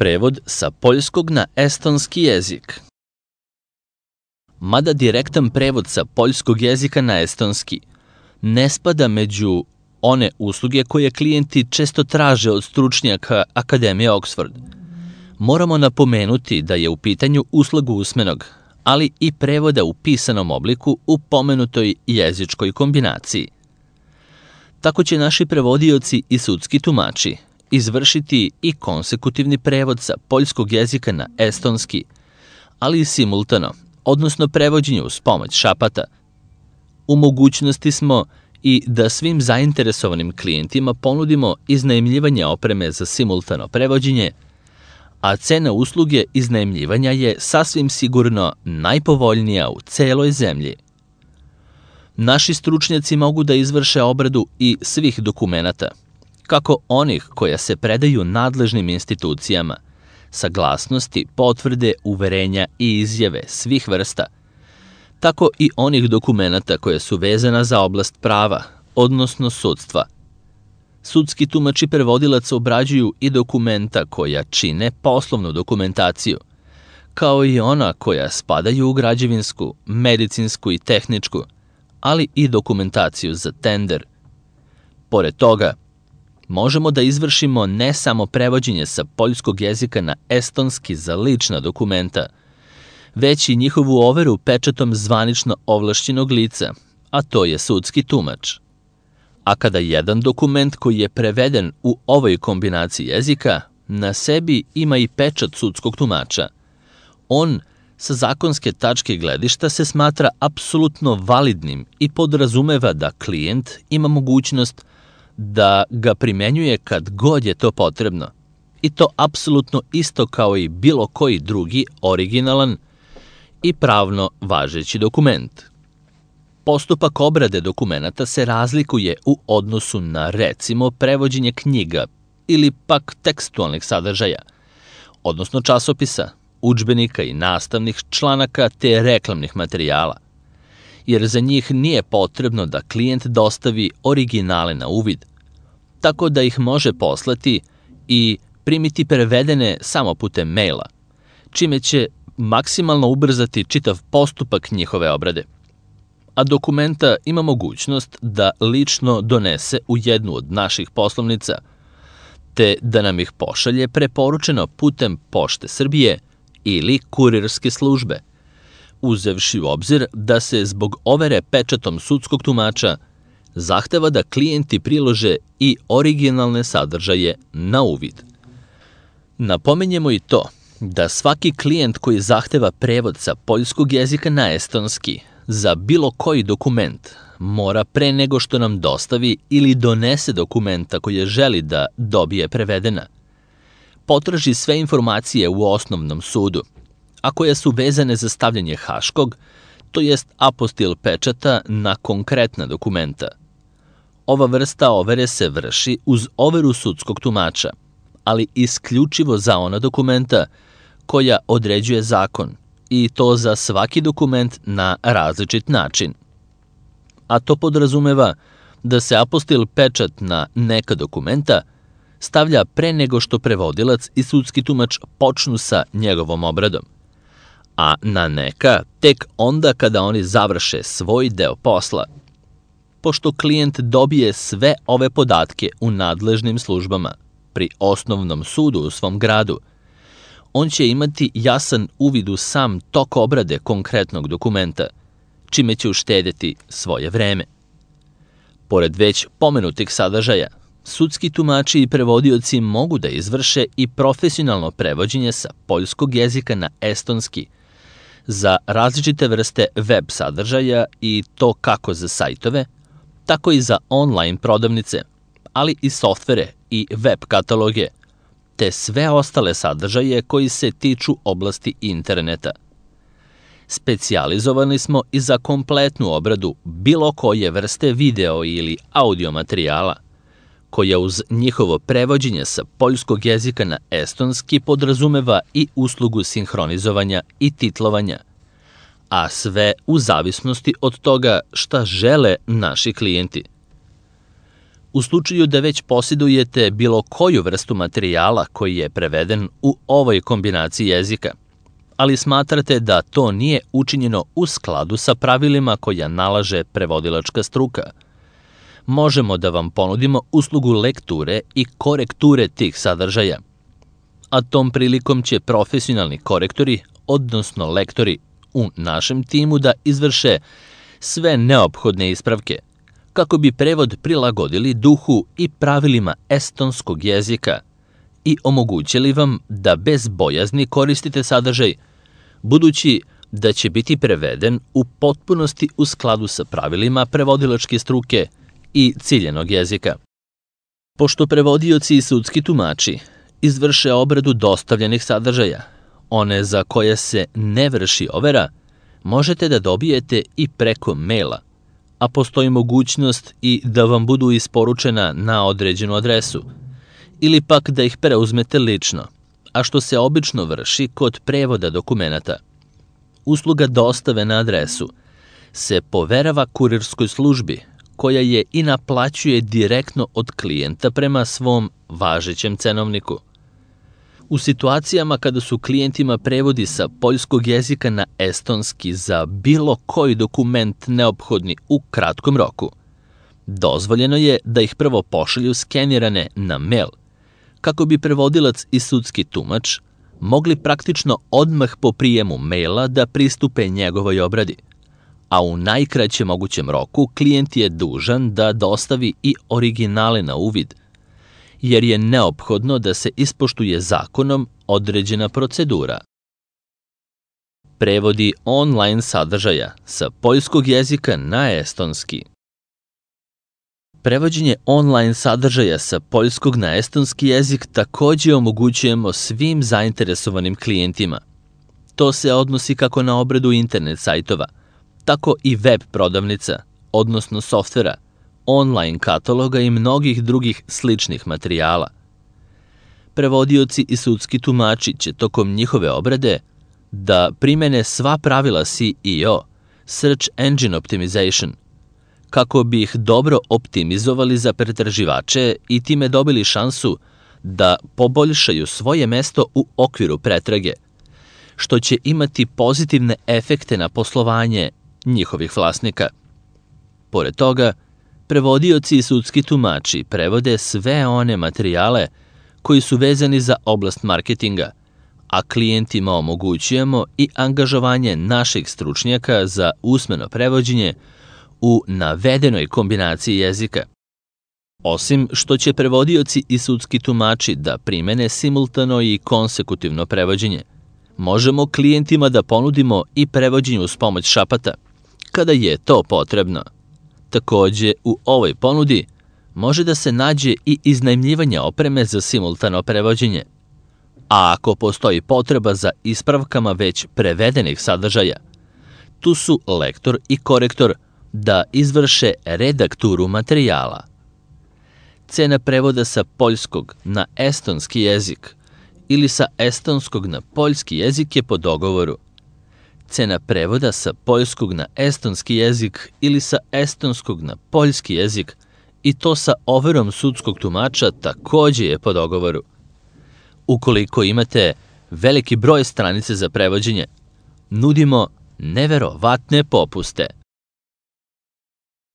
Prevod sa poljskog na estonski jezik. Mada direktan prevod sa poljskog jezika na estonski ne spada među one usluge koje klijenti često traže od stručnjaka Akademije Oxford, moramo napomenuti da je u pitanju usluga usmenog, ali i prevoda u pisanom obliku u pomenutoj jezičkoj kombinaciji. Tako će naši prevodioci i sudski tumači izvršiti i konsekutivni prevod sa poljskog jezika na estonski, ali i simultano, odnosno prevođenje uz pomoć šapata. U mogućnosti smo i da svim zainteresovanim klijentima ponudimo iznajmljivanje opreme za simultano prevođenje, a cena usluge iznajmljivanja je sasvim sigurno najpovoljnija u celoj zemlji. Naši stručnjaci mogu da izvrše obradu i svih dokumenata, kako onih koja se predaju nadležnim institucijama, saglasnosti, potvrde, uverenja i izjave svih vrsta, tako i onih dokumenata koje su vezana za oblast prava, odnosno sudstva. Sudski tumač i prevodilac obrađuju i dokumenta koja čine poslovnu dokumentaciju, kao i ona koja spadaju u građevinsku, medicinsku i tehničku, ali i dokumentaciju za tender. Pored toga, možemo da izvršimo ne samo prevođenje sa poljskog jezika na estonski za lična dokumenta, već i njihovu overu pečatom zvanično ovlašćenog lica, a to je sudski tumač. A kada jedan dokument koji je preveden u ovoj kombinaciji jezika na sebi ima i pečat sudskog tumača, on sa zakonske tačke gledišta se smatra apsolutno validnim i podrazumeva da klijent ima mogućnost da ga primenjuje kad god je to potrebno, i to apsolutno isto kao i bilo koji drugi originalan i pravno važeći dokument. Postupak obrade dokumenata se razlikuje u odnosu na, recimo, prevođenje knjiga ili pak tekstualnih sadržaja, odnosno časopisa, udžbenika i nastavnih članaka te reklamnih materijala, jer za njih nije potrebno da klijent dostavi originale na uvid, tako da ih može poslati i primiti prevedene samo putem maila, čime će maksimalno ubrzati čitav postupak njihove obrade. A dokumenta ima mogućnost da lično donese u jednu od naših poslovnica, te da nam ih pošalje preporučeno putem Pošte Srbije ili kurirske službe, uzevši u obzir da se zbog overe pečatom sudskog tumača zahteva da klijenti prilože i originalne sadržaje na uvid. Napominjemo i to da svaki klijent koji zahteva prevod sa poljskog jezika na estonski za bilo koji dokument mora pre nego što nam dostavi ili donese dokumenta koje želi da dobije prevedena, potraži sve informacije u osnovnom sudu, a koje su vezane za stavljanje haškog, to jest apostil pečata na konkretna dokumenta. Ova vrsta overe se vrši uz overu sudskog tumača, ali isključivo za ona dokumenta koja određuje zakon, i to za svaki dokument na različit način. A to podrazumeva da se apostil pečat na neka dokumenta stavlja pre nego što prevodilac i sudski tumač počnu sa njegovom obradom, a na neka tek onda kada oni završe svoj deo posla. Pošto klijent dobije sve ove podatke u nadležnim službama pri osnovnom sudu u svom gradu, on će imati jasan uvid u sam tok obrade konkretnog dokumenta, čime će uštedeti svoje vreme. Pored već pomenutih sadržaja, sudski tumači i prevodioci mogu da izvrše i profesionalno prevođenje sa poljskog jezika na estonski za različite vrste web sadržaja, i to kako za sajtove, tako i za online prodavnice, ali i softvere i web kataloge, te sve ostale sadržaje koji se tiču oblasti interneta. Specijalizovani smo i za kompletnu obradu bilo koje vrste video ili audio materijala, koja uz njihovo prevođenje sa poljskog jezika na estonski podrazumeva i uslugu sinhronizovanja i titlovanja, a sve u zavisnosti od toga šta žele naši klijenti. U slučaju da već posjedujete bilo koju vrstu materijala koji je preveden u ovoj kombinaciji jezika, ali smatrate da to nije učinjeno u skladu sa pravilima koja nalaže prevodilačka struka, možemo da vam ponudimo uslugu lekture i korekture tih sadržaja. A tom prilikom će profesionalni korektori, odnosno lektori u našem timu da izvrše sve neophodne ispravke, kako bi prevod prilagodili duhu i pravilima estonskog jezika i omogućili vam da bez bojazni koristite sadržaj, budući da će biti preveden u potpunosti u skladu sa pravilima prevodilačke struke i ciljenog jezika. Pošto prevodioci i sudski tumači izvrše obradu dostavljenih sadržaja, one za koje se ne vrši overa, možete da dobijete i preko maila, a postoji mogućnost i da vam budu isporučena na određenu adresu, ili pak da ih preuzmete lično, a što se obično vrši kod prevoda dokumenata. Usluga dostave na adresu se poverava kurirskoj službi, koja je i naplaćuje direktno od klijenta prema svom važećem cenovniku. U situacijama kada su klijentima prevodi sa poljskog jezika na estonski za bilo koji dokument neophodni u kratkom roku, dozvoljeno je da ih prvo pošalju skenirane na mail, kako bi prevodilac i sudski tumač mogli praktično odmah po prijemu maila da pristupe njegovoj obradi, a u najkraćem mogućem roku klijent je dužan da dostavi i originale na uvid, jer je neophodno da se ispoštuje zakonom određena procedura. Prevodi online sadržaja sa poljskog jezika na estonski. Prevođenje online sadržaja sa poljskog na estonski jezik takođe omogućujemo svim zainteresovanim klijentima. To se odnosi kako na obradu internet sajtova, tako i web prodavnica, odnosno softvera, online kataloga i mnogih drugih sličnih materijala. Prevodioci i sudski tumači će tokom njihove obrade da primene sva pravila SEO, Search Engine Optimization, kako bi ih dobro optimizovali za pretraživače i time dobili šansu da poboljšaju svoje mesto u okviru pretrage, što će imati pozitivne efekte na poslovanje njihovih vlasnika. Pored toga, prevodioci i sudski tumači prevode sve one materijale koji su vezani za oblast marketinga, a klijentima omogućujemo i angažovanje naših stručnjaka za usmeno prevođenje u navedenoj kombinaciji jezika. Osim što će prevodioci i sudski tumači da primene simultano i konsekutivno prevođenje, možemo klijentima da ponudimo i prevođenje uz pomoć šapata, kada je to potrebno. Takođe, u ovoj ponudi može da se nađe i iznajmljivanje opreme za simultano prevođenje, a ako postoji potreba za ispravkama već prevedenih sadržaja, tu su lektor i korektor da izvrše redakturu materijala. Cena prevoda sa poljskog na estonski jezik ili sa estonskog na poljski jezik je po dogovoru. Cena prevoda sa poljskog na estonski jezik ili sa estonskog na poljski jezik i to sa overom sudskog tumača takođe je po dogovoru. Ukoliko imate veliki broj stranice za prevođenje, nudimo neverovatne popuste.